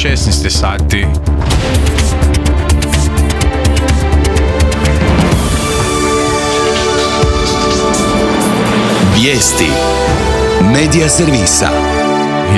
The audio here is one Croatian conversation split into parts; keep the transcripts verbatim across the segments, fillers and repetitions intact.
šesnaest sati. Vijesti Medija servisa.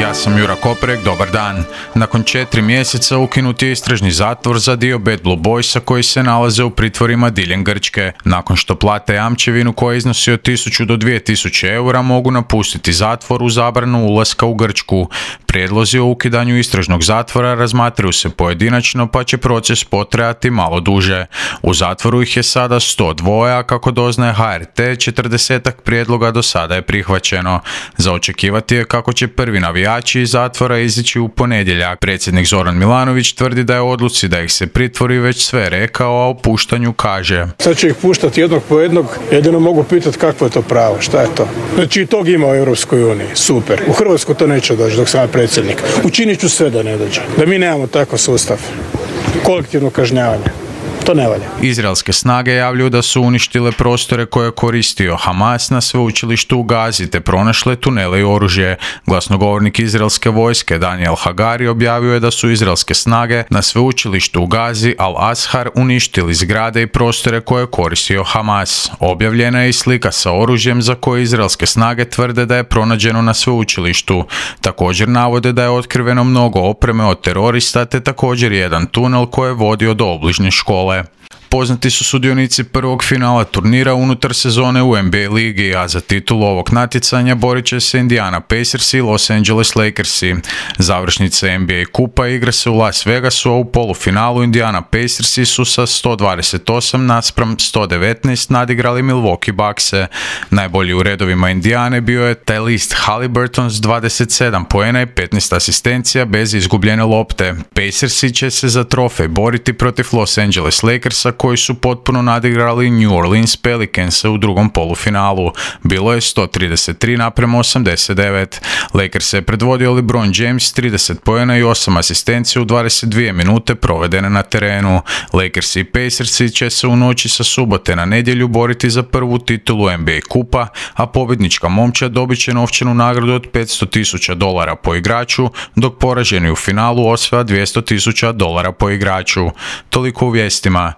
Ja sam Jura Koprek, dobar dan. Nakon četiri mjeseca ukinut je istražni zatvor za dio Bad Blue Boysa koji se nalaze u pritvorima diljem Grčke. Nakon što plate jamčevinu koja iznosi od tisuću do dvije tisuće eura mogu napustiti zatvor u zabranu ulaska u Grčku. Prijedlozi o ukidanju istražnog zatvora razmatraju se pojedinačno pa će proces potrajati malo duže. U zatvoru ih je sada sto dva, a kako doznaje H R T, četrdesetak prijedloga do sada je prihvaćeno. Za očekivati je kako će prvi navijači iz zatvora izići u ponedjeljak. Predsjednik Zoran Milanović tvrdi da je odluci da ih se pritvori već sve rekao, a o puštanju kaže: Sad će ih puštati jednog po jednog, jedino mogu pitati kakvo je to pravo, šta je to. Znači i tog ima u Europskoj uniji, super. U Hrvatsku to neće doći dok sam ja predsjednik. Učinit ću sve da ne dođe. Da mi nemamo takav sustav. Kolektivno kažnjavanje. To ne valja. Izraelske snage javljaju da su uništile prostore koje je koristio Hamas na sveučilištu u Gazi te pronašle tunele i oružje. Glasnogovornik izraelske vojske Daniel Hagari objavio je da su izraelske snage na sveučilištu u Gazi Al-Azhar uništili zgrade i prostore koje je koristio Hamas. Objavljena je i slika sa oružjem za koje izraelske snage tvrde da je pronađeno na sveučilištu. Također navode da je otkriveno mnogo opreme od terorista te također jedan tunel koji je vodio do obližnje škole. Poznati su sudionici prvog finala turnira unutar sezone u N B A ligi, a za titulu ovog natjecanja borit će se Indiana Pacersi i Los Angeles Lakersi. Završnica N B A kupa igra se u Las Vegasu, a u polufinalu Indiana Pacersi su sa sto dvadeset osam naspram sto devetnaest nadigrali Milwaukee Buckse. Najbolji u redovima Indiane bio je Tyrese Haliburton s dvadeset sedam poena i petnaest asistencija bez izgubljene lopte. Pacersi će se za trofej boriti protiv Los Angeles Lakersa koji su potpuno nadigrali New Orleans Pelicanse u drugom polufinalu. Bilo je sto trideset tri naprema osamdeset devet. Lakers je predvodio LeBron James trideset poena i osam asistencija u dvadeset dvije minute provedene na terenu. Lakers i Pacersi će se u noći sa subote na nedjelju boriti za prvu titulu N B A kupa, a pobjednička momčad dobit će novčanu nagradu od petsto tisuća dolara po igraču, dok poraženi u finalu osvaja dvjesto tisuća dolara po igraču. Toliko u vijestima.